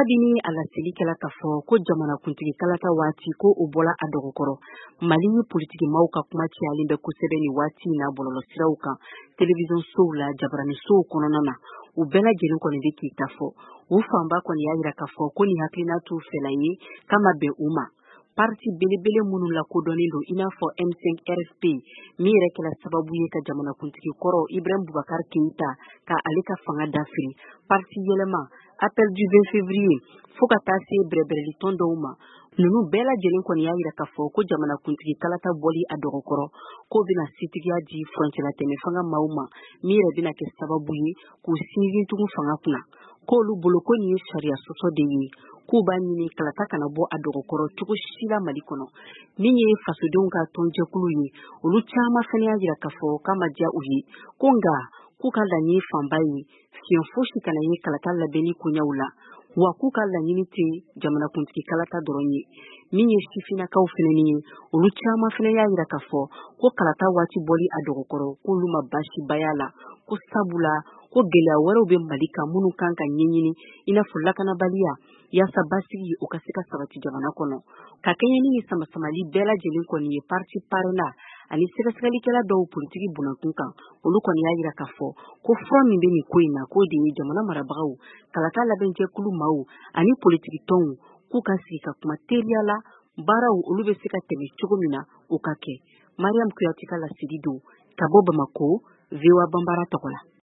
Kabini a laseli kɛla k'a fɔ ko jamanakuntigi kalata waati ko o bɔla a dɔgɔkɔrɔ, Mali ni politikimaw ka kuma cayalen bɛ kosɛbɛ nin waati in na bɔlɔlɔsiraw kan, telewisɔnsow la, jabaranisow kɔnɔna na. U bɛɛ lajɛlen kɔni bɛ k'i ta fɔ. U fanba kɔni y'a jira k'a fɔ ko nin hakilina t'u fɛla ye, k'a ma bɛn u ma. Parti belebele minnu lakodɔnnen don i n'a fɔ M5 RFP, min yɛrɛ kɛra sababu ye ka jamanakuntigi kɔrɔ Ibrahim Boubacar Keïta ka ale ka fanga dafiri, parti yɛlɛma, Appel du 20 février, fo ka taa se bɛrɛbɛrɛlitɔn dɔw ma, ninnu bɛɛ lajɛlen kɔni y'a jira k'a fɔ ko jamanakuntigi kalata bɔli a dɔgɔkɔrɔ k'o bɛna setigiya di furancɛlatɛmɛ fanga maaw ma, min yɛrɛ bɛna kɛ sababu ye k'u sinsin tugun fanga kunna. K'olu bolo ko nin ye sariya sɔsɔ de ye, k'u b'a ɲini kalata kana bɔ a dɔgɔkɔrɔ cogo si la Mali kɔnɔ. Min ye fasodenw ka tɔnjɛkulu ye, olu caman fana y'a jira k'a fɔ k'a ma diya u ye, ko nka k'u ka laɲini fanba ye fiɲɛ fosi kana ye kalata labɛnni koɲɛw la, wa k'u ka laɲini tɛ jamanakuntigi kalata dɔrɔn ye. Min ye sifinnakaw fana ye, olu caman fana y'a jira k'a fɔ ko kalata waati bɔli a dɔgɔkɔrɔ k'olu ma baasiba y'a la, ko sabula ko gɛlɛya wɛrɛw bɛ Mali kan minnu kan ka ɲɛɲini, i n'a fɔ lakanabaliya, yaasa basigi o ka se ka sabati jamana kɔnɔ. Ka kɛɲɛ ni nin samasamali bɛɛ lajɛlen kɔni ye, parti PARENA ani sɛgɛsɛgɛlikɛla dɔw politiki bunakun kan, olu kɔni y'a jira k'a fɔ ko fura min bɛ nin ko in na, k'o de ye jamana marabagaw, kalata labɛnjɛkulu maaw ani politiki tɔnw k'u ka sigi ka kuma teliya la, baaraw olu bɛ se ka tɛmɛ cogo min na o ka kɛ. Mariam Kuyate ka laseli don ka bɔ Bamako, VOA Banbara tɔgɔ la.